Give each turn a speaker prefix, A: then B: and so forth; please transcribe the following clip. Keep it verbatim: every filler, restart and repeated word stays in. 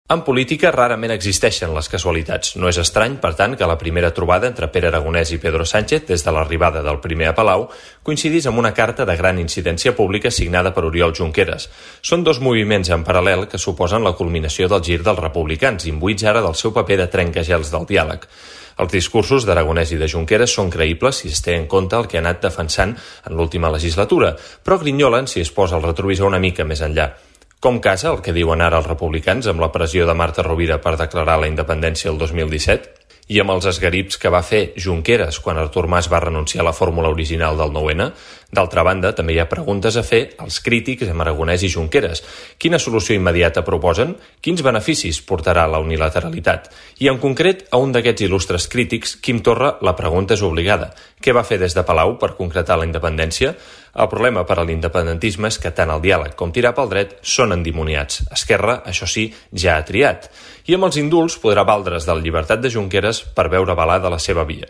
A: En política rarament existeixen les casualitats. No és estrany, per tant, que la primera trobada entre Pere Aragonès i Pedro Sánchez, des de l'arribada del primer a Palau, coincidís amb una carta de gran incidència pública signada per Oriol Junqueras. Són dos moviments en paral·lel que suposen la culminació del gir dels republicans, imbuïts ara del seu paper de trencagels del diàleg. Els discursos d'Aragonès i de Junqueras són creïbles si es té en compte el que ha anat defensant en l'última legislatura, però grinyolen si es posa el retrovisor una mica més enllà. Com casa el que diuen ara els republicans amb la pressió de Marta Rovira per declarar la independència el dos mil disset? I amb els esgarips que va fer Junqueras quan Artur Mas va renunciar a la fórmula original del nou ene? D'altra banda, també hi ha preguntes a fer als crítics amb Aragonès i Junqueras. Quina solució immediata proposen? Quins beneficis portarà la unilateralitat? I en concret, a un d'aquests il·lustres crítics, Quim Torra, la pregunta és obligada. Què va fer des de Palau per concretar la independència? El problema per a l'independentisme és que tant el diàleg com tirar pel dret són endimoniats. Esquerra, això sí, ja ha triat. I amb els indults podrà valdre's de la llibertat de Junqueras per veure avalada la seva via.